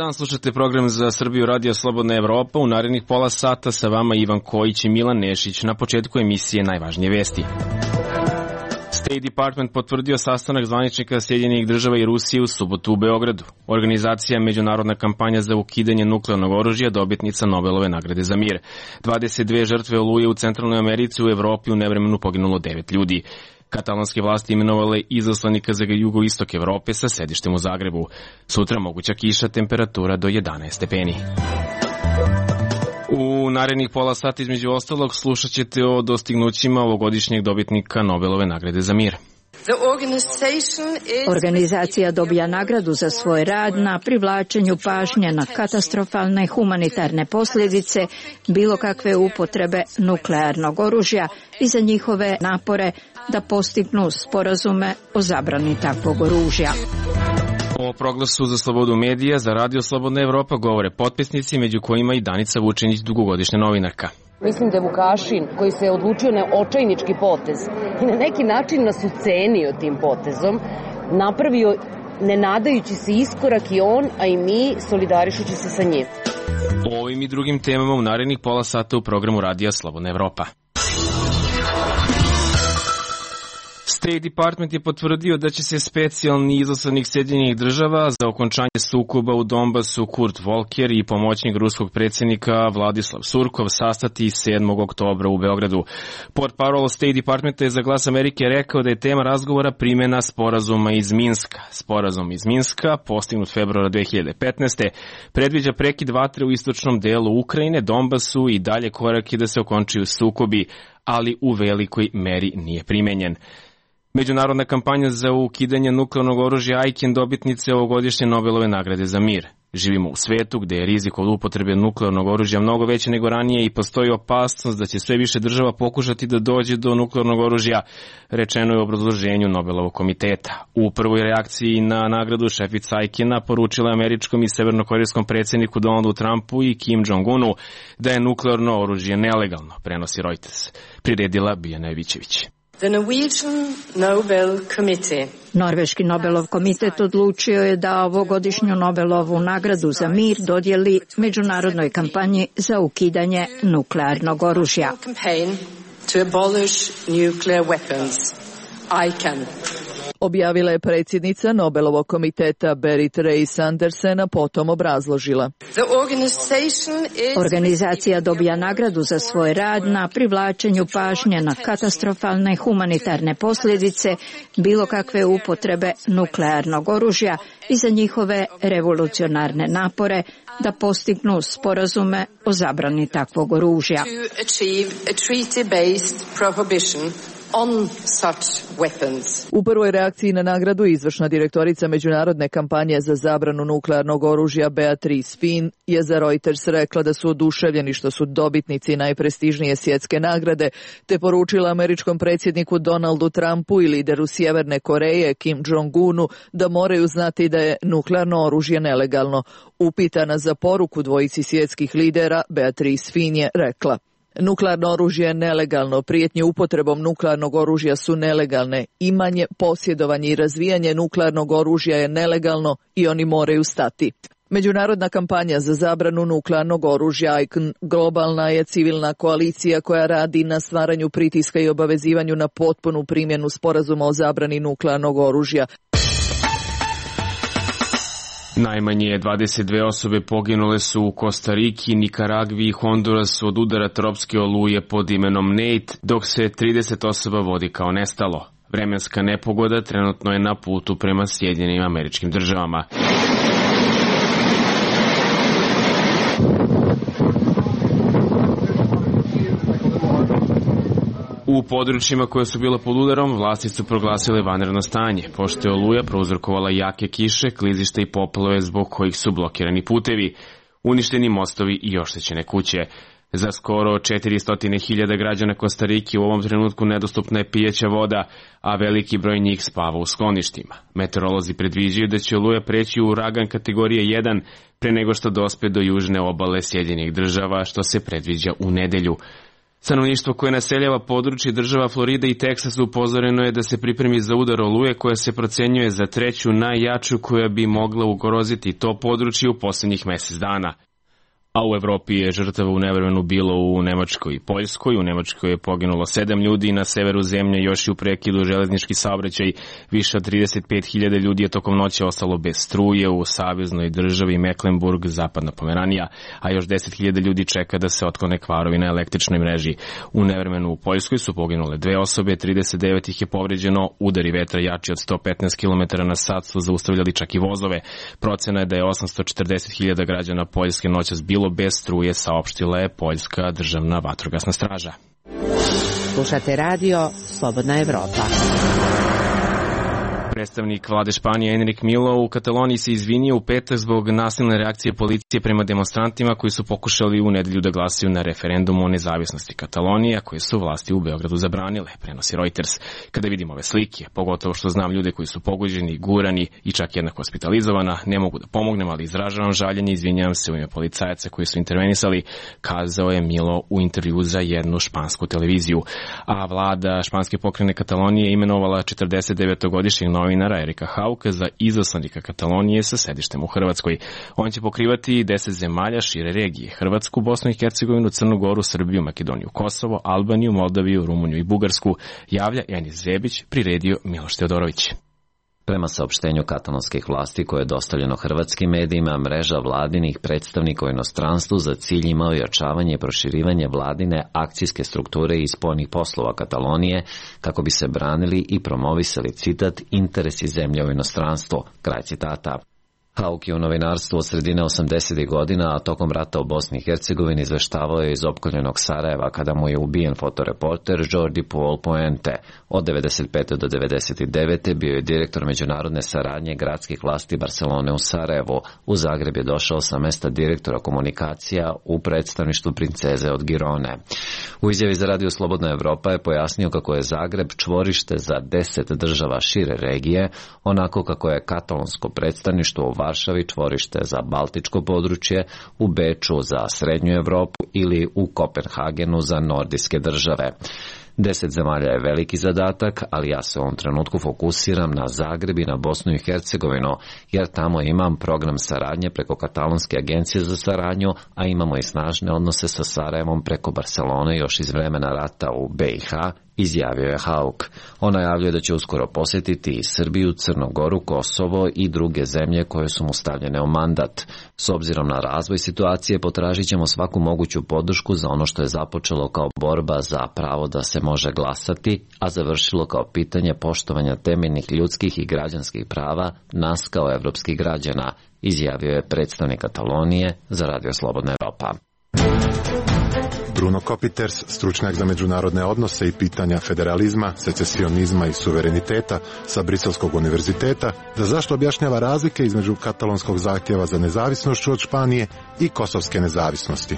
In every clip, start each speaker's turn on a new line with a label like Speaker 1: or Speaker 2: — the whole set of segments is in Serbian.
Speaker 1: dan, slušate program za Srbiju Radio Slobodna Evropa. U narednih pola sata sa vama Ivan Kojić i Milan Nešić. Na početku emisije najvažnije vesti. State Department potvrdio sastanak zvaničnika Sjedinjenih država i Rusije u subotu u Beogradu. Organizacija Međunarodna kampanja za ukidanje nuklearnog oružja, dobitnica Nobelove nagrade za mir. 22 žrtve oluje u Centralnoj Americi, u Evropi u nevremenu poginulo 9 ljudi. Katalonske vlasti imenovale izaslanika za jugoistok Evrope sa sedištem u Zagrebu. Sutra moguća kiša, temperatura do 11 stepeni. U narednih pola sata između ostalog slušat ćete o dostignućima ovogodišnjeg dobitnika Nobelove nagrade za mir.
Speaker 2: Organizacija dobija nagradu za svoj rad na privlačenju pažnje na katastrofalne humanitarne posljedice bilo kakve upotrebe nuklearnog oružja i za njihove napore da postignu sporazume o zabrani takvog oružja.
Speaker 1: O proglasu za slobodu medija za Radio Slobodna Evropa govore potpisnici, među kojima i Danica Vučinić, dugogodišnja novinarka.
Speaker 3: Mislim da je Vukašin, koji se odlučio na očajnički potez i na neki način nas ucenio tim potezom, napravio ne nadajući se iskorak i on, a i mi solidarišući se sa njim.
Speaker 1: O ovim i drugim temama u narednih pola sata u programu Radija Slobodna Evropa. State Department je potvrdio da će se specijalni izaslanik Sjedinjenih država za okončanje sukoba u Donbasu Kurt Volker i pomoćnik ruskog predsjednika Vladislav Surkov sastati 7. oktobra u Beogradu. Portparol State Departmenta je za Glas Amerike rekao da je tema razgovora primjena sporazuma iz Minska. Sporazum iz Minska, postignut februara 2015. predviđa prekid vatre u istočnom delu Ukrajine, Donbasu i dalje korake da se okončaju sukobi, ali u velikoj meri nije primenjen. Međunarodna kampanja za ukidanje nuklearnog oružja ICAN dobitnice ovogodišnje Nobelove nagrade za mir. Živimo u svetu gde je rizik od upotrebe nuklearnog oružja mnogo veći nego ranije i postoji opasnost da će sve više država pokušati da dođe do nuklearnog oružja, rečeno je u obrazloženju Nobelovog komiteta. U prvoj reakciji na nagradu šefica ICAN-a poručila američkom i severnokorejskom predsjedniku Donaldu Trumpu i Kim Jong-unu da je nuklearno oružje nelegalno, prenosi Reuters. Priredila Bijana Evićević.
Speaker 2: Norveški Nobelov komitet odlučio je da ovogodišnju Nobelovu nagradu za mir dodijeli međunarodnoj kampanji za ukidanje nuklearnog oružja.
Speaker 4: Objavila je predsjednica Nobelovog komiteta Berit Reiss-Andersen, a potom obrazložila.
Speaker 2: Organizacija dobija nagradu za svoj rad na privlačenju pažnje na katastrofalne humanitarne posljedice bilo kakve upotrebe nuklearnog oružja i za njihove revolucionarne napore da postignu sporazume o zabrani takvog oružja.
Speaker 4: U prvoj reakciji na nagradu izvršna direktorica Međunarodne kampanje za zabranu nuklearnog oružja Beatrice Finn je za Reuters rekla da su oduševljeni što su dobitnici najprestižnije svjetske nagrade, te poručila američkom predsjedniku Donaldu Trumpu i lideru Sjeverne Koreje Kim Jong-unu da moraju znati da je nuklearno oružje nelegalno. Upitana za poruku dvojici svjetskih lidera, Beatrice Finn je rekla: nuklearno oružje je nelegalno, prijetnje upotrebom nuklearnog oružja su nelegalne, imanje, posjedovanje i razvijanje nuklearnog oružja je nelegalno i oni moraju stati. Međunarodna kampanja za zabranu nuklearnog oružja ICAN globalna je civilna koalicija koja radi na stvaranju pritiska i obavezivanju na potpunu primjenu sporazuma o zabrani nuklearnog oružja.
Speaker 1: Najmanje 22 osobe poginule su u Kostariki, Nikaragvi i Hondurasu od udara tropske oluje pod imenom Nate, dok se 30 osoba vodi kao nestalo. Vremenska nepogoda trenutno je na putu prema Sjedinjenim Američkim Državama. U područjima koje su bila pod udarom, vlasti su proglasile vanredno stanje, pošto je oluja prouzrokovala jake kiše, klizišta i poplave zbog kojih su blokirani putevi, uništeni mostovi i oštećene kuće. Za skoro 400.000 građana Kostarike u ovom trenutku nedostupna je pijeća voda, a veliki broj njih spava u skloništima. Meteorolozi predviđaju da će oluja preći u uragan kategorije 1 pre nego što dospe do južne obale Sjedinjenih Država, što se predviđa u nedelju. Stanovništvo koje naseljava područje država Florida i Teksas upozoreno je da se pripremi za udar oluje koja se procenjuje za treću najjaču koja bi mogla ugroziti to područje u posljednjih mjesec dana. A u Evropi je žrtava u nevremenu bilo u Nemačkoj i Poljskoj. U Nemačkoj je poginulo 7 ljudi, na severu zemlje još i u prekidu železnički saobraćaj. Više od 35.000 ljudi je tokom noći ostalo bez struje u saveznoj državi Mecklenburg, zapadna Pomeranija, a još 10.000 ljudi čeka da se otklone kvarovi na električnoj mreži. U nevremenu u Poljskoj su poginule 2 osobe, 39 ih je povređeno, udari vetra jači od 115 km na sat su zaustavljali čak i vozove. Procena je da je 840.000 građana Poljske noćas bilo bez struje, saopštila je Poljska državna vatrogasna straža.
Speaker 5: Slušate radio Slobodna Evropa.
Speaker 1: Predstavnik vlade Španije Enrique Millo u Kataloniji se izvinio u petak zbog nasilne reakcije policije prema demonstrantima koji su pokušali u nedelju da glasaju na referendumu o nezavisnosti Katalonije, koje su vlasti u Beogradu zabranile, prenosi Reuters. Kada vidim ove slike, pogotovo što znam ljude koji su pogođeni, gurani i čak jedna hospitalizovana, ne mogu da pomognem, ali izražavam žaljenje i izvinjavam se u ime policajaca koji su intervenisali, kazao je Millo u intervju za jednu špansku televiziju. A vlada španske pokrajine Katalonije imenovala 49-godišnjeg novinara Erika Hauka za izaslanika Katalonije sa sedištem u Hrvatskoj. On će pokrivati 10 zemalja šire regije: Hrvatsku, Bosnu i Hercegovinu, Crnu Goru, Srbiju, Makedoniju, Kosovo, Albaniju, Moldaviju, Rumuniju i Bugarsku, javlja Enis Zebić, priredio Miloš Teodorović.
Speaker 6: Prema saopštenju katalonskih vlasti koje je dostavljeno hrvatskim medijima, mreža vladinih predstavnika u inostranstvu za cilj ima ojačavanje i proširivanje vladine akcijske strukture i spoljnih poslova Katalonije kako bi se branili i promovisali, citat, interesi zemlje u inostranstvu, kraj citata. Hauk je u novinarstvu od sredine 80. godina, a tokom rata u Bosni i Hercegovini izveštavao je iz opkoljenog Sarajeva kada mu je ubijen fotoreporter Jordi Paul Poente. Od 95. do 99. bio je direktor međunarodne saradnje gradskih vlasti Barcelone u Sarajevu. U Zagreb je došao sa mesta direktora komunikacija u predstavništvu princeze od Girone. U izjavi za Radio Slobodna Evropa je pojasnio kako je Zagreb čvorište za 10 država šire regije, onako kako je katalonsko predstavništvo u Varšavi čvorište za Baltičko područje, u Beču za Srednju Evropu ili u Kopenhagenu za nordijske države. 10 zemalja je veliki zadatak, ali ja se u ovom trenutku fokusiram na Zagreb i na Bosnu i Hercegovinu, jer tamo imam program saradnje preko Katalonske agencije za saradnju, a imamo i snažne odnose sa Sarajevom preko Barcelone još iz vremena rata u BiH, izjavio je Hauk. On najavljuje da će uskoro posjetiti i Srbiju, Crnu Goru, Kosovo i druge zemlje koje su mu stavljene u mandat. S obzirom na razvoj situacije potražit ćemo svaku moguću podršku za ono što je započelo kao borba za pravo da se može glasati, a završilo kao pitanje poštovanja temeljnih ljudskih i građanskih prava nas kao evropskih građana, izjavio je predstavnik Katalonije za Radio Slobodna Evropa.
Speaker 7: Bruno Kopiters, stručnjak za međunarodne odnose i pitanja federalizma, secesionizma i suvereniteta sa Briselskog univerziteta, da zašto objašnjava razlike između katalonskog zahtjeva za nezavisnošću od Španije i kosovske nezavisnosti.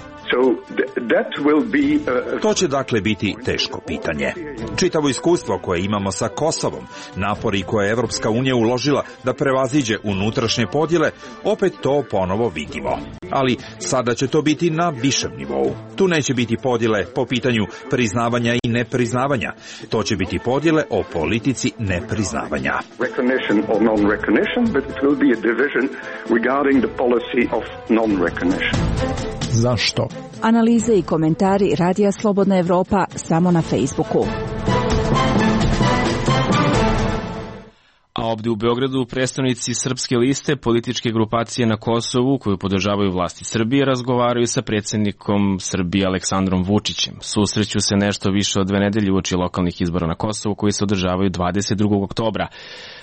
Speaker 8: To će dakle biti teško pitanje. Čitavo iskustvo koje imamo sa Kosovom, napori koje je Evropska unija uložila da prevaziđe unutrašnje podjele, opet to ponovo vidimo. Ali sada će to biti na višem nivou. Tu neće biti podjele po pitanju priznavanja i nepriznavanja. To će biti podjele o politici nepriznavanja.
Speaker 9: Zašto? Analize i komentari Radija Slobodna Evropa samo na Facebooku.
Speaker 1: A ovdje u Beogradu predstavnici Srpske liste, političke grupacije na Kosovu koju podržavaju vlasti Srbije, razgovaraju sa predsjednikom Srbije Aleksandrom Vučićem. Susreću se nešto više od 2 nedelje uoči lokalnih izbora na Kosovu koji se održavaju 22. oktobra.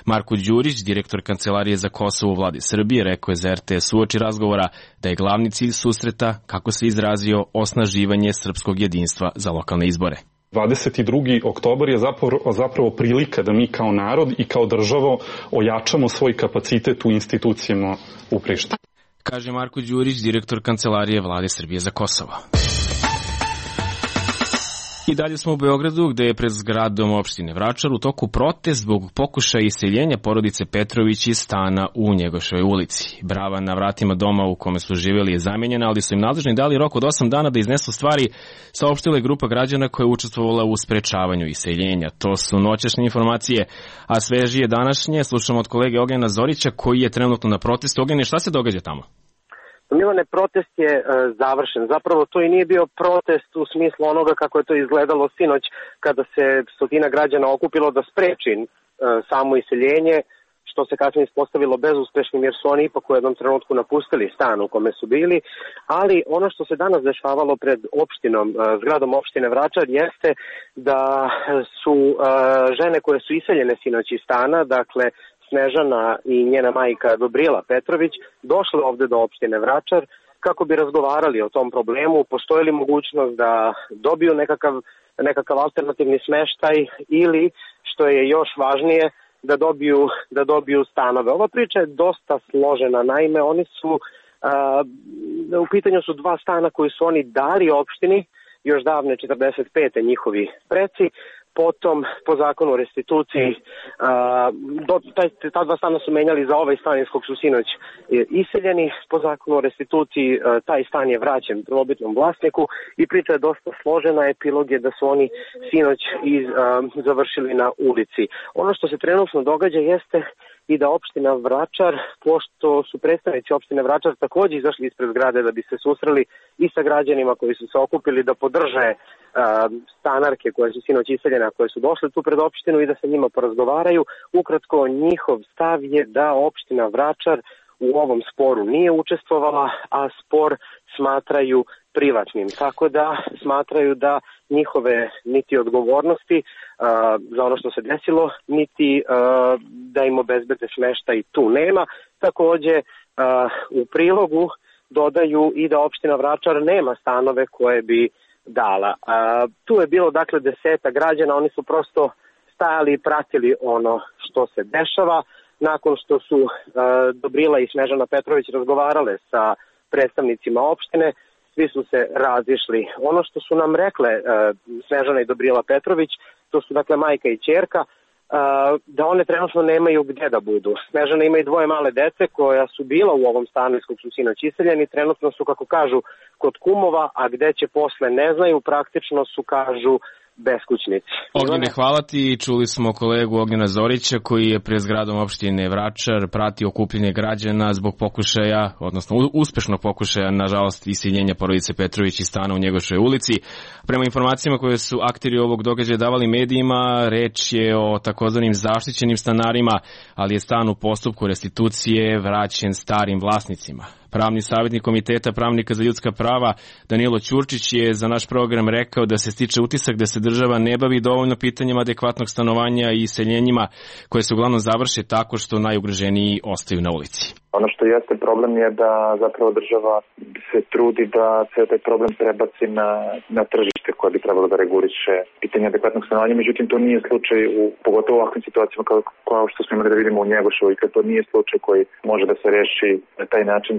Speaker 1: Marko Đurić, direktor Kancelarije za Kosovo u vladi Srbije, rekao je za RTS uoči razgovora da je glavni cilj susreta, kako se izrazio, osnaživanje srpskog jedinstva za lokalne izbore.
Speaker 10: 22. oktobar je zapravo prilika da mi kao narod i kao država ojačamo svoj kapacitet u institucijama u Prištini.
Speaker 1: Kaže Marko Đurić, direktor Kancelarije vlade Srbije za Kosovo. I dalje smo u Beogradu, gde je pred zgradom opštine Vračar u toku protest zbog pokušaja iseljenja porodice Petrović iz stana u Njegoševoj ulici. Brava na vratima doma u kome su živjeli je zamenjena, ali su im nadležni dali rok od 8 dana da iznesu stvari, saopštila je grupa građana koja je učestvovala u sprečavanju iseljenja. To su noćašnje informacije, a svežije današnje slušamo od kolege Ognjena Zorića koji je trenutno na protestu. Ognjene, šta se događa tamo?
Speaker 11: Milane, protest je završen. Zapravo to i nije bio protest u smislu onoga kako je to izgledalo sinoć kada se stotina građana okupilo da spreči samo iseljenje, što se kasnije ispostavilo bezuspešnim jer su oni ipak u jednom trenutku napustili stan u kome su bili, ali ono što se danas dešavalo pred zgradom opštine Vračar jeste da su žene koje su iseljene sinoć iz stana, dakle Snežana i njena majka Dobrila Petrović, došle ovde do opštine Vračar kako bi razgovarali o tom problemu. Postoji li mogućnost da dobiju nekakav alternativni smeštaj ili, što je još važnije, da dobiju stanove. Ova priča je dosta složena, naime u pitanju su 2 stana koji su oni dali opštini još davne 45. njihovi preci. Potom, po zakonu o restituciji, ta 2 stana su menjali za ovaj stan iz kog su sinoć iseljeni. Po zakonu o restituciji taj stan je vraćen prvobitnom vlasniku i priča je dosta složena. Epilog je da su oni sinoć završili na ulici. Ono što se trenutno događa jeste i da opština Vračar, pošto su predstavnici opštine Vračar također izašli ispred zgrade da bi se susreli i sa građanima koji su se okupili da podrže stanarke koje su sinoć iseljene, koje su došle tu pred opštinu i da sa njima porazgovaraju. Ukratko, njihov stav je da opština Vračar u ovom sporu nije učestvovala, a spor smatraju privatnim. Tako da smatraju da njihove niti odgovornosti za ono što se desilo, niti da im obezbede smeštaj tu nema. Takođe u prilogu dodaju i da opština Vračar nema stanove koje bi dala. Tu je bilo dakle 10 građana, oni su prosto stajali i pratili ono što se dešava. Nakon što su Dobrila i Snežana Petrović razgovarale sa predstavnicima opštine, svi su se razišli. Ono što su nam rekle Snežana i Dobrila Petrović, to su dakle majka i ćerka, da one trenutno nemaju gdje da budu. Snežana ima i 2 male dece koja su bila u ovom stanu iz kog su sinoć iseljeni, trenutno su, kako kažu, kod kumova, a gde će posle ne znaju, praktično su, kažu, beskućnici.
Speaker 1: Ognjene, hvala ti. Čuli smo kolegu Ognjena Zorića koji je pred zgradom opštine Vračar pratio okupljanje građana zbog pokušaja, odnosno uspešnog pokušaja, nažalost, iseljenja porodice Petrović iz stana u Njegoševoj ulici. Prema informacijama koje su akteri ovog događaja davali medijima, reč je o takozvanim zaštićenim stanarima, ali je stan u postupku restitucije vraćen starim vlasnicima. Pravni savjetnik Komiteta pravnika za ljudska prava Danilo Ćurčić je za naš program rekao da se stiče utisak da se država ne bavi dovoljno pitanjima adekvatnog stanovanja i iseljenjima koje se uglavnom završe tako što najugroženiji ostaju na ulici.
Speaker 12: Ono što jeste problem je da zapravo država se trudi da se taj problem prebaci na tržište koje bi trebalo da reguliše pitanje adekvatnog stanovanja. Međutim, to nije slučaj pogotovo u ovakvim situacijama kao što smo imali da vidimo u Njegoševoj, kad to nije slučaj koji može da se reši na taj način,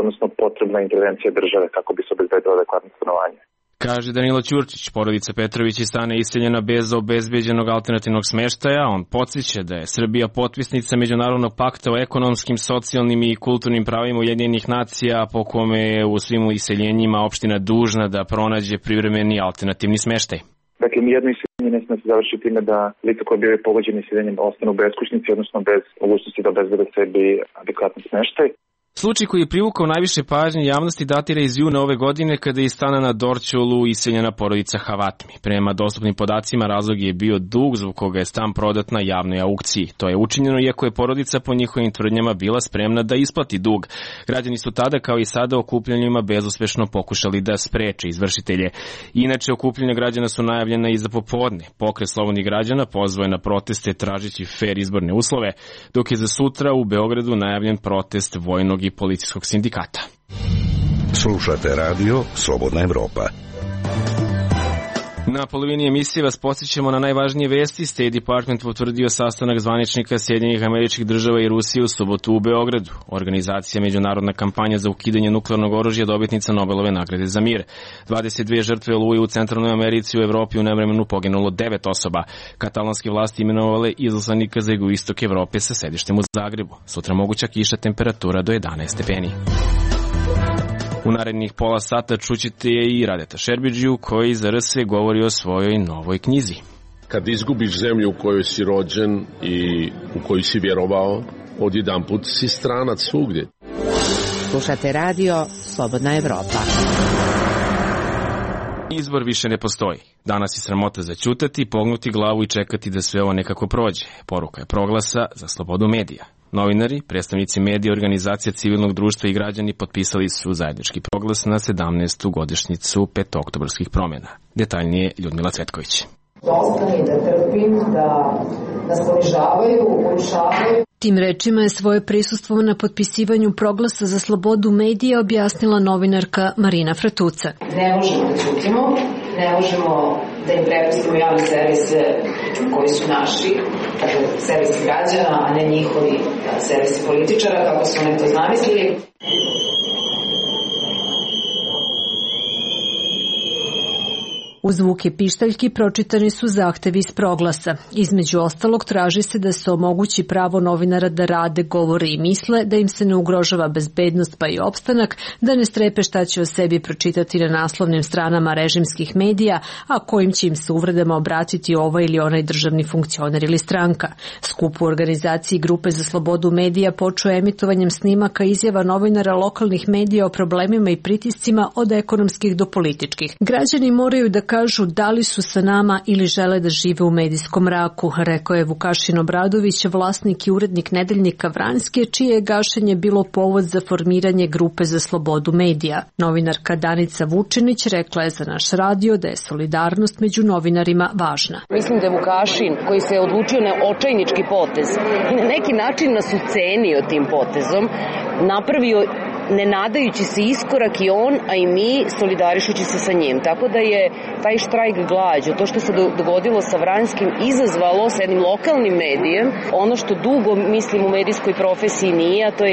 Speaker 12: odnosno potrebna intervencija države kako bi se obezbedilo adekvatno stanovanje.
Speaker 1: Kaže Danilo Ćurčić, porodica Petrović iz stana iseljena bez obezbeđenog alternativnog smeštaja. On podsjeća da je Srbija potpisnica Međunarodnog pakta o ekonomskim, socijalnim i kulturnim pravima Ujedinjenih nacija, po kome je u svim iseljenjima opština dužna da pronađe privremeni alternativni smeštaj.
Speaker 12: Dakle, nijedno iseljenje ne sme se završiti time da lica koje bivaju pogođeni iseljenjem ostanu beskućnici, odnosno bez mogućnosti da obezbede sebi adekvatni smeštaj.
Speaker 1: Slučaj koji je privukao najviše pažnje javnosti datira iz juna ove godine kada je iz stana na Dorćolu iseljena porodica Havatmi. Prema dostupnim podacima razlog je bio dug zbog koga je stan prodat na javnoj aukciji. To je učinjeno iako je porodica po njihovim tvrdnjama bila spremna da isplati dug. Građani su tada kao i sada okupljanjima bezuspešno pokušali da spreče izvršitelje. Inače, okupljanja građana su najavljena i za popodne. Pokret slobodnih građana pozvao je na proteste tražeći fer izborne uslove, dok je za sutra u Beogradu najavljen protest vojnog i policijskog sindikata.
Speaker 13: Slušate radio Slobodna Evropa.
Speaker 1: Na polovini emisije vas podsjećamo na najvažnije vesti. State Department potvrdio sastanak zvaničnika Sjedinjenih Američkih Država i Rusije u subotu u Beogradu. Organizacija Međunarodna kampanja za ukidanje nuklearnog oružja dobitnica Nobelove nagrade za mir. 22 žrtve oluje u Centralnoj Americi, u Evropi u nevremenu poginulo 9 osoba. Katalonske vlasti imenovale izaslanika za jugoistok Evrope sa sedištem u Zagrebu. Sutra moguća kiša, temperatura do 11 stepeni. U narednih pola sata čućete i Radeta Šerbidžiju koji za RS govori o svojoj novoj knjizi.
Speaker 13: Kad izgubiš zemlju u kojoj si rođen i u koju si vjerovao, odjedanput si stranac svugdje.
Speaker 5: Slušate radio Slobodna Evropa.
Speaker 1: Izbor više ne postoji. Danas je sramota zaćutati, pognuti glavu i čekati da sve ovo nekako prođe. Poruka je Proglasa za slobodu medija. Novinari, predstavnici medija, organizacija civilnog društva i građani potpisali su zajednički proglas na 17. godišnjicu petooktobarskih promjena. Detaljnije Ljudmila Cvetković.
Speaker 14: Dosta mi da trpim, da nas ponižavaju, urušavaju.
Speaker 15: Tim rečima je svoje prisustvo na potpisivanju proglasa za slobodu medija objasnila novinarka Marina Fratuca.
Speaker 14: Ne možemo da ćutimo, ne možemo da im prepustimo javne servise koji su naši, dakle servisi građana, a ne njihovi servisi političara, kako su oni to zamislili.
Speaker 15: U zvuke pištaljki pročitani su zahtevi iz proglasa. Između ostalog traži se da se omogući pravo novinara da rade, govore i misle, da im se ne ugrožava bezbednost pa i opstanak, da ne strepe šta će o sebi pročitati na naslovnim stranama režimskih medija, a kojim će im se uvredama obratiti ovaj ili onaj državni funkcioner ili stranka. Skup u organizaciji Grupe za slobodu medija počeo emitovanjem snimaka izjava novinara lokalnih medija o problemima i pritiscima od ekonomskih do političkih. Građani moraju da kažu da li su sa nama ili žele da žive u medijskom mraku, rekao je Vukašin Obradović, vlasnik i urednik nedeljnika Vranjske, čije je gašenje bilo povod za formiranje Grupe za slobodu medija. Novinarka Danica Vučinić rekla je za naš radio da je solidarnost među novinarima važna.
Speaker 3: Mislim da je Vukašin, koji se je odlučio na očajnički potez i na neki način nas ucenio tim potezom, napravio ne nadajući se iskorak i on, a i mi solidarišući se sa njim. Tako da je taj štrajk glađu, to što se dogodilo sa Vranjskim, izazvalo sa jednim lokalnim medijem ono što dugo, mislim, u medijskoj profesiji nije, a to je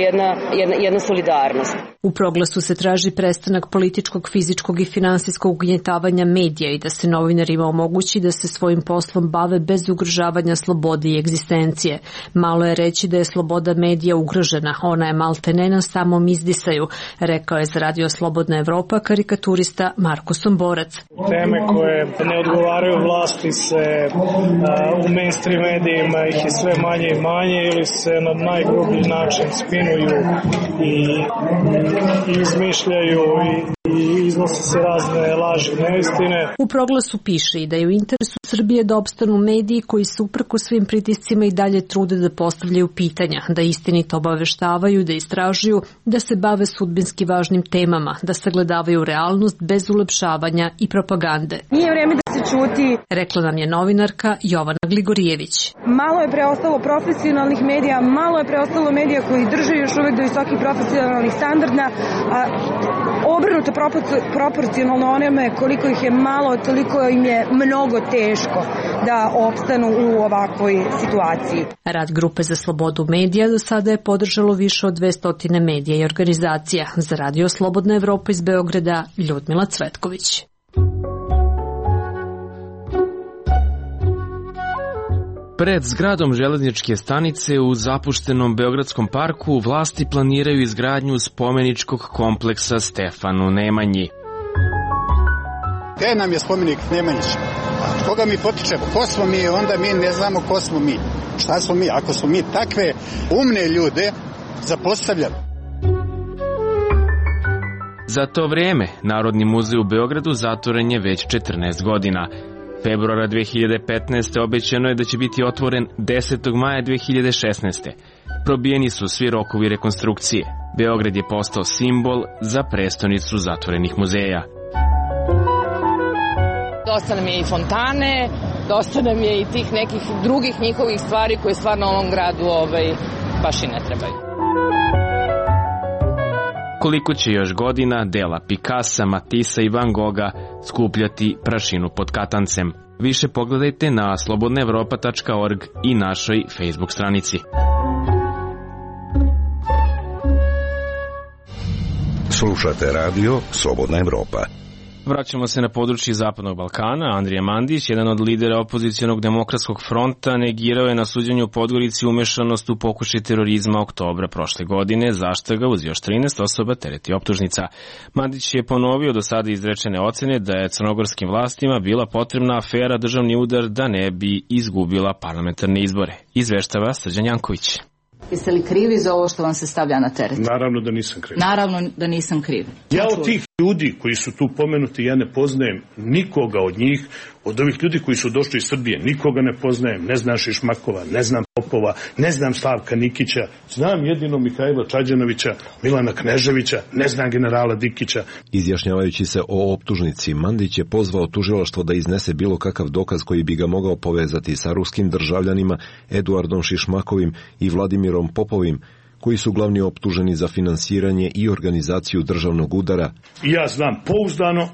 Speaker 3: jedna solidarnost.
Speaker 15: U proglasu se traži prestanak političkog, fizičkog i finansijskog ugnjetavanja medija i da se novinarima omogući da se svojim poslom bave bez ugrožavanja slobode i egzistencije. Malo je reći da je sloboda medija ugrožena, ona je maltene na samom izdisaju, rekao je za radio Slobodna Evropa karikaturista Marko Somborac.
Speaker 16: Teme koje ne odgovaraju vlasti se u mainstream medijima ih je sve manje i manje ili se na najgrublji način spinuju i izmišljaju i iznose se razne laži i neistine.
Speaker 15: U proglasu piše i da je u interesu Srbije da opstanu mediji koji se uprkos svim pritiscima i dalje trude da postavljaju pitanja, da istinito obaveštavaju, da istražuju, da se bave sudbinski važnim temama, da sagledavaju realnost bez ulepšavanja i propagande.
Speaker 17: Nije vreme da se ćuti,
Speaker 15: rekla nam je novinarka Jovana Gligorijević.
Speaker 17: Malo je preostalo profesionalnih medija, malo je preostalo medija koji drže još uvek do visokih profesionalnih standarda, a obrnuto proporcionalno onome koliko ih je malo, toliko im je mnogo teško da opstanu u ovakvoj situaciji.
Speaker 15: Rad Grupe za slobodu medija do sada je podržalo više od 200 medija i organizacija. Za radio Slobodna Evropa iz Beograda, Ljudmila Cvetković.
Speaker 1: Pred zgradom železničke stanice u zapuštenom Beogradskom parku vlasti planiraju izgradnju spomeničkog kompleksa Stefanu Nemanji.
Speaker 18: Gde nam je spomenik Nemanjić? Koga mi potičemo? Ko smo mi? Onda mi ne znamo ko smo mi. Šta smo mi? Ako smo mi takve umne ljude zapostavljamo.
Speaker 1: Za to vrijeme Narodni muzej u Beogradu zatvoren je već 14 godina. Februara 2015. obećano je da će biti otvoren 10. maja 2016. Probijeni su svi rokovi rekonstrukcije. Beograd je postao simbol za prestonicu zatvorenih muzeja.
Speaker 19: Dosta nam je i fontane, dosta nam je i tih nekih drugih njihovih stvari koje stvarno ovom gradu baš i ne trebaju.
Speaker 1: Koliko će još godina dela Picassa, Matissa i Van Gogha skupljati prašinu pod katancem? Više pogledajte na slobodnaevropa.org i našoj Facebook stranici.
Speaker 20: Slušate radio Slobodna Evropa.
Speaker 1: Vraćamo se na područje Zapadnog Balkana. Andrija Mandić, jedan od lidera opozicionog demokratskog fronta, negirao je na suđenju u Podgorici umešanost u pokušaj terorizma oktobra prošle godine, zašto ga uz još 13 osoba tereti optužnica. Mandić je ponovio do sada izrečene ocene da je crnogorskim vlastima bila potrebna afera državni udar da ne bi izgubila parlamentarne izbore. Izveštava Srđan Janković.
Speaker 21: Jeste li krivi za ovo što vam se stavlja na teret?
Speaker 22: Naravno da nisam kriv.
Speaker 21: Naravno da nisam kriv.
Speaker 22: Ja od tih ljudi koji su tu pomenuti, ja ne poznajem nikoga od njih, od ovih ljudi koji su došli iz Srbije, nikoga ne poznajem, ne znam Šišmakova, ne znam Popova, ne znam Slavka Nikića, znam jedino Mihajla Čađanovića, Milana Kneževića, ne znam generala Dikića.
Speaker 23: Izjašnjavajući se o optužnici, Mandić je pozvao tužilaštvo da iznese bilo kakav dokaz koji bi ga mogao povezati sa ruskim državljanima Eduardom Šišmakovim i Vladimirom Popovim, koji su glavni optuženi za finansiranje i organizaciju državnog udara.
Speaker 22: Ja znam pouzdano,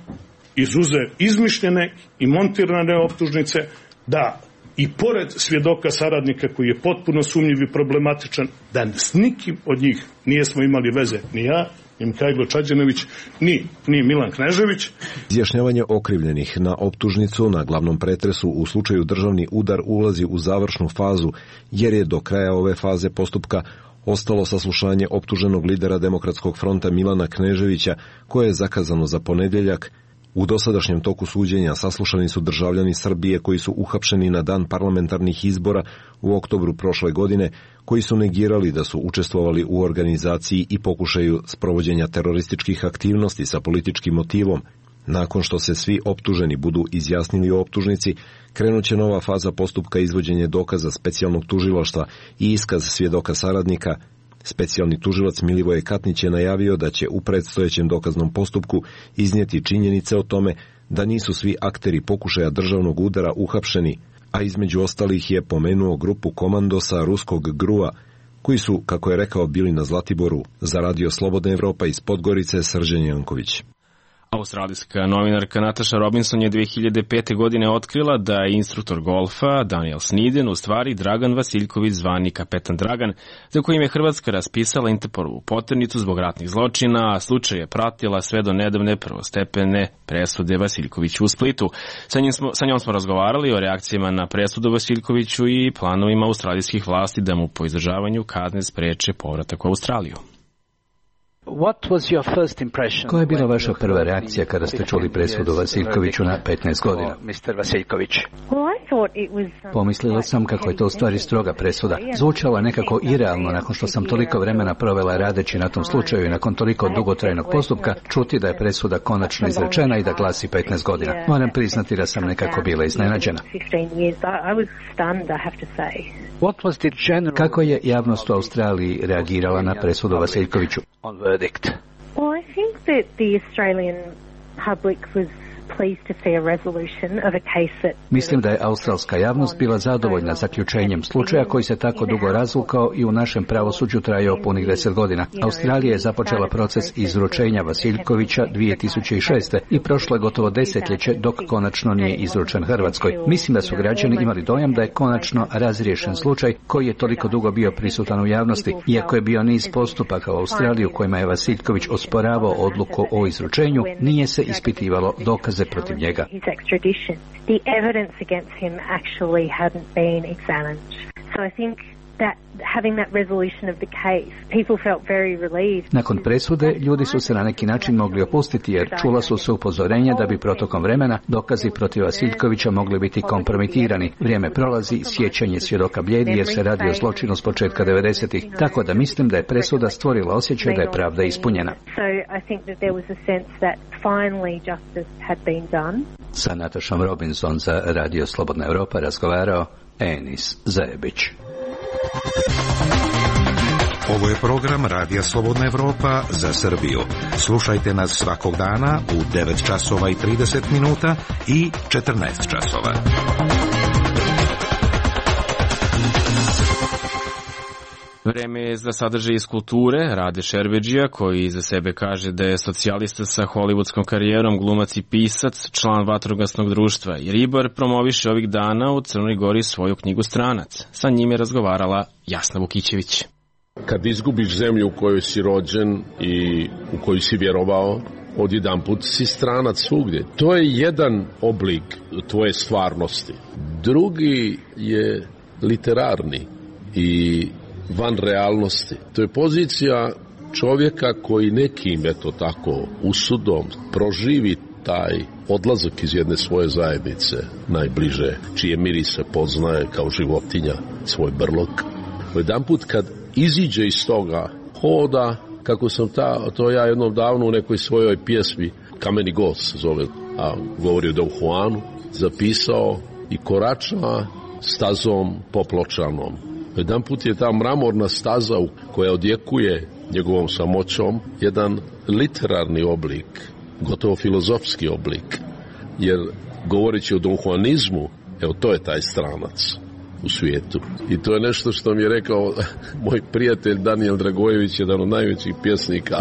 Speaker 22: izuzev izmišljene i montirane optužnice, da i pored svjedoka saradnika koji je potpuno sumnjiv i problematičan, da s nikim od njih nijesmo imali veze, ni ja, ni Mihajlo Čađanović, ni Milan Knežević.
Speaker 23: Izjašnjavanje okrivljenih na optužnicu na glavnom pretresu u slučaju državni udar ulazi u završnu fazu, jer je do kraja ove faze postupka ostalo saslušanje optuženog lidera Demokratskog fronta Milana Kneževića, koje je zakazano za ponedjeljak. U dosadašnjem toku suđenja saslušani su državljani Srbije koji su uhapšeni na dan parlamentarnih izbora u oktobru prošle godine, koji su negirali da su učestvovali u organizaciji i pokušaju sprovođenja terorističkih aktivnosti sa političkim motivom. Nakon što se svi optuženi budu izjasnili o optužnici, krenuće nova faza postupka izvođenje dokaza specijalnog tužilaštva i iskaz svjedoka saradnika. Specijalni tužilac Milivoje Katnić je najavio da će u predstojećem dokaznom postupku iznijeti činjenice o tome da nisu svi akteri pokušaja državnog udara uhapšeni, a između ostalih je pomenuo grupu komandosa ruskog GRU-a, koji su, kako je rekao, bili na Zlatiboru. Za radio Slobodna Evropa iz Podgorice, Srđan Janković.
Speaker 1: Australijska novinarka Natasha Robinson je 2005. godine otkrila da je instruktor golfa Daniel Sniden u stvari Dragan Vasiljković, zvani Kapetan Dragan, za kojim je Hrvatska raspisala Interpolovu poternicu zbog ratnih zločina, a slučaj je pratila sve do nedavne prvostepene presude Vasiljkoviću u Splitu. Sa njom smo razgovarali o reakcijama na presudu Vasiljkoviću i planovima australijskih vlasti da mu po izdržavanju kazne spreče povratak u Australiju.
Speaker 24: Koja je bila vaša prva reakcija kada ste čuli presudu Vasiljkoviću na 15 godina? Pomislila sam kako je to u stvari stroga presuda. Zvučala nekako irealno nakon što sam toliko vremena provela radeći na tom slučaju i nakon toliko dugotrajnog postupka čuti da je presuda konačno izrečena i da glasi 15 godina. Moram priznati da sam nekako bila iznenađena. Kako je javnost u Australiji reagirala na presudu Vasiljkoviću?
Speaker 25: Well, I think that the Australian public was pleased to see a resolution of a case that...
Speaker 24: Mislim da je australska javnost bila zadovoljna zaključenjem slučaja koji se tako dugo razvukao i u našem pravosuđu trajao punih 10 godina. Australija je započela proces izručenja Vasiljkovića 2006. i prošlo je gotovo desetljeće dok konačno nije izručen Hrvatskoj. Mislim da su građani imali dojam da je konačno razriješen slučaj koji je toliko dugo bio prisutan u javnosti. Iako je bio niz postupaka u Australiji u kojima je Vasiljković osporavao odluku o izručenju, nije se ispitivalo dokaze protiv njega.
Speaker 25: The evidence against him actually hadn't been examined. So I think that having that resolution of the case, people felt very relieved.
Speaker 24: Nakon presude, ljudi su se na neki način mogli opustiti jer čula su se upozorenja da bi protokom vremena dokazi protiv Vasiljkovića mogli biti kompromitirani. Vrijeme prolazi, sjećanje svjedoka blijedi jer se radi o zločinu s početka 90-ih. Tako da mislim da je presuda stvorila osjećaj da je pravda ispunjena.
Speaker 25: So I think that there was a sense that finally justice had been done.
Speaker 24: Sa Natašom Robinson za Radio Slobodna Evropa razgovarao Enis Zajebić.
Speaker 20: Ovo je program Radija Slobodna Evropa za Srbiju. Slušajte nas svakog dana u 9 časova i 30 minuta i 14 časova.
Speaker 1: Vreme je za sadržaj iz kulture. Rade Šerbedžija, koji za sebe kaže da je socijalista sa hollywoodskom karijerom, glumac i pisac, član vatrogasnog društva i ribar, promoviše ovih dana u Crnoj Gori svoju knjigu Stranac. Sa njim je razgovarala Jasna Vukićević.
Speaker 13: Kad izgubiš zemlju u kojoj si rođen i u koju si vjerovao, odjedanput si stranac svugdje. To je jedan oblik tvoje stvarnosti. Drugi je literarni i van realnosti. To je pozicija čovjeka koji nekim, eto tako, usudom proživi taj odlazak iz jedne svoje zajednice, najbliže, čije mirise poznaje kao životinja svoj brlog. Jedanput kad iziđe iz toga, hoda, kako sam to ja jednom davno u nekoj svojoj pjesmi, Kameni gost zove, a govori o Don Juanu, zapisao i korača stazom popločanom. Jedan put je ta mramorna staza koja odjekuje njegovom samoćom jedan literarni oblik, gotovo filozofski oblik, jer govoreći o donhuanizmu, evo to je taj stranac u svijetu. I to je nešto što mi je rekao moj prijatelj Danijel Dragojević, jedan od najvećih pjesnika,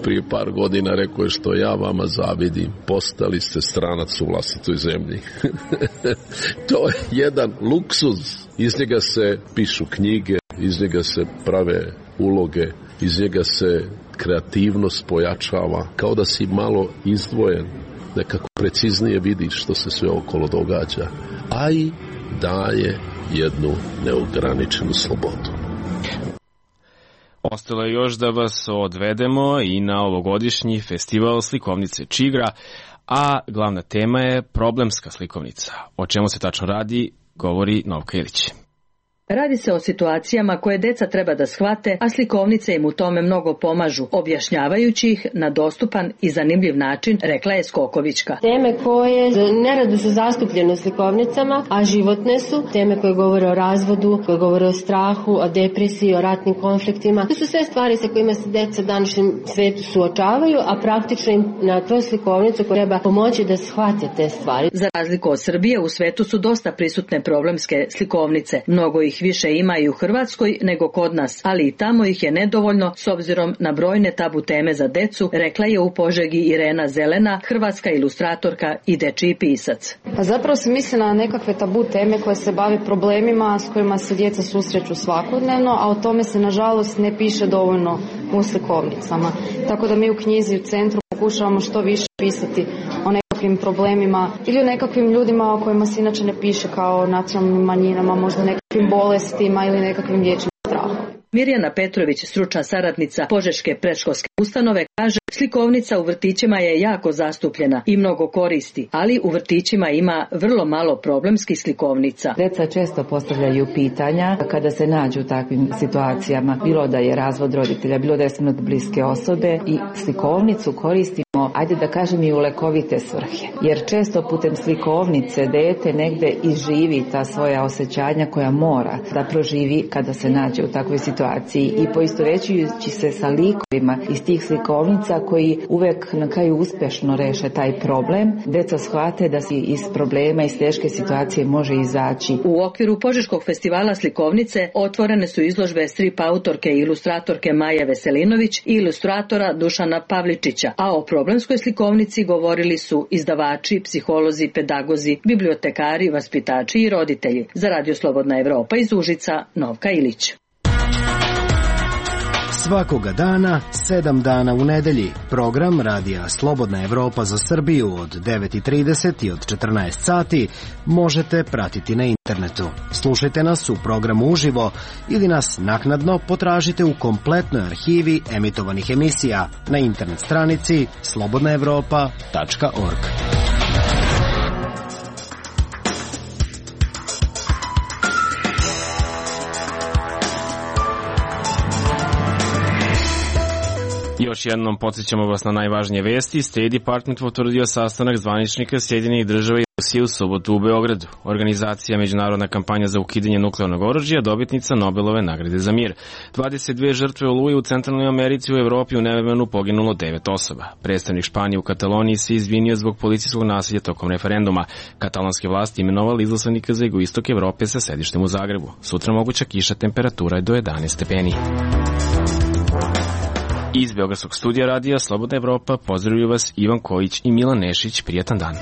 Speaker 13: prije par godina. Rekao je: što ja vama zavidim, postali ste stranac u vlastitoj zemlji. To je jedan luksuz. Iz njega se pišu knjige, iz njega se prave uloge, iz njega se kreativnost pojačava, kao da si malo izdvojen, nekako preciznije vidiš što se sve okolo događa, a i daje jednu neograničenu slobodu.
Speaker 1: Ostalo je još da vas odvedemo i na ovogodišnji festival slikovnice Čigra, a glavna tema je problemska slikovnica. O čemu se tačno radi, govori Novka Ilić.
Speaker 2: Radi se o situacijama koje deca treba da shvate, a slikovnice im u tome mnogo pomažu, objašnjavajući ih na dostupan i zanimljiv način, rekla je Skokovićka.
Speaker 4: Teme koje nerado su zastupljene u slikovnicama, a životne su, teme koje govore o razvodu, koje govore o strahu, o depresiji, o ratnim konfliktima. To su sve stvari sa kojima se deca u današnjem svetu suočavaju, a praktično im na toj slikovnicu treba pomoći da shvate te stvari.
Speaker 2: Za razliku od Srbije, u svetu su dosta prisutne problemske slikovnice. Mnogo ih više ima i u Hrvatskoj nego kod nas, ali i tamo ih je nedovoljno s obzirom na brojne tabu teme za decu, rekla je u Požegi Irena Zelena, hrvatska ilustratorka i dečiji pisac.
Speaker 6: Pa zapravo se misli na nekakve tabu teme koje se bave problemima s kojima se djeca susreću svakodnevno, a o tome se nažalost ne piše dovoljno u slikovnicama. Tako da mi u knjizi u centru pokušavamo što više pisati o nekakvim problemima ili o nekakvim ljudima o kojima se inače ne piše, kao nacionalnim manjinama, možda nekakvim bolestima ili nekakvim dječjim strahom.
Speaker 2: Mirjana Petrović, stručna saradnica Požeške predškolske ustanove, kaže: slikovnica u vrtićima je jako zastupljena i mnogo koristi, ali u vrtićima ima vrlo malo problemskih slikovnica.
Speaker 7: Deca često postavljaju pitanja kada se nađu u takvim situacijama, bilo da je razvod roditelja, bilo da je smrt bliske osobe, i slikovnicu koristimo, ajde da kažem, i u lekovite svrhe. Jer često putem slikovnice dete negde izživi ta svoja osjećanja koja mora da proživi kada se nađe u takvoj situaciji, i poistovećujući se sa likovima iz tih slikovnica koji uvek na kraju uspešno reše taj problem, deca shvate da se iz problema, iz teške situacije može izaći.
Speaker 2: U okviru Požeškog festivala slikovnice otvorene su izložbe strip autorke i ilustratorke Maje Veselinović i ilustratora Dušana Pavličića, a o problemskoj slikovnici govorili su izdavači, psiholozi, pedagozi, bibliotekari, vaspitači i roditelji. Za Radio Slobodna Evropa iz Užica, Novka Ilić.
Speaker 8: Svakoga dana, 7 dana u nedelji, program Radija Slobodna Evropa za Srbiju od 9:30 i od 14 sati možete pratiti na internetu. Slušajte nas u programu uživo ili nas naknadno potražite u kompletnoj arhivi emitovanih emisija na internet stranici slobodnaevropa.org.
Speaker 1: Još jednom podsjećamo vas na najvažnije vesti. State Department potvrdio sastanak zvaničnika Sjedinjenih država i Rusije u subotu u Beogradu. Organizacija Međunarodna kampanja za ukidanje nuklearnog oružja, dobitnica Nobelove nagrade za mir. 22 žrtve oluje u Centralnoj Americi, u Evropi u nevremenu poginulo 9 osoba. Predstavnik Španije u Kataloniji se izvinio zbog policijskog nasilja tokom referenduma. Katalonske vlasti imenovali izaslanika za jugoistok Evrope sa sedištem u Zagrebu. Sutra moguća kiša, temperatura je do 11 stepeni. Iz Beogradskog studija radija Slobodna Evropa pozdravljuju vas Ivan Kojić i Milan Nešić. Prijatan dan.